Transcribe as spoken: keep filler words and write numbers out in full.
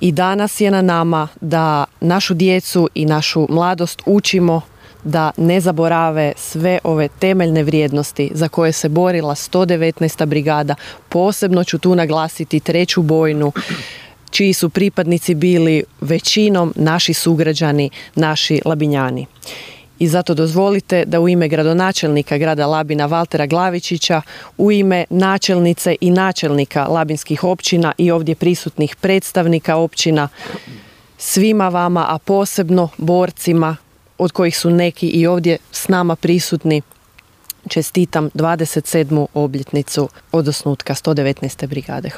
I danas je na nama da našu djecu i našu mladost učimo da ne zaborave sve ove temeljne vrijednosti za koje se borila sto devetnaesta brigada. Posebno ću tu naglasiti treću bojnu, čiji su pripadnici bili većinom naši sugrađani, naši Labinjani. I zato dozvolite da u ime gradonačelnika grada Labina Valtera Glavičića, u ime načelnice i načelnika labinskih općina i ovdje prisutnih predstavnika općina, svima vama, a posebno borcima, od kojih su neki i ovdje s nama prisutni, čestitam dvadeset sedmu obljetnicu od osnutka sto devetnaeste brigade.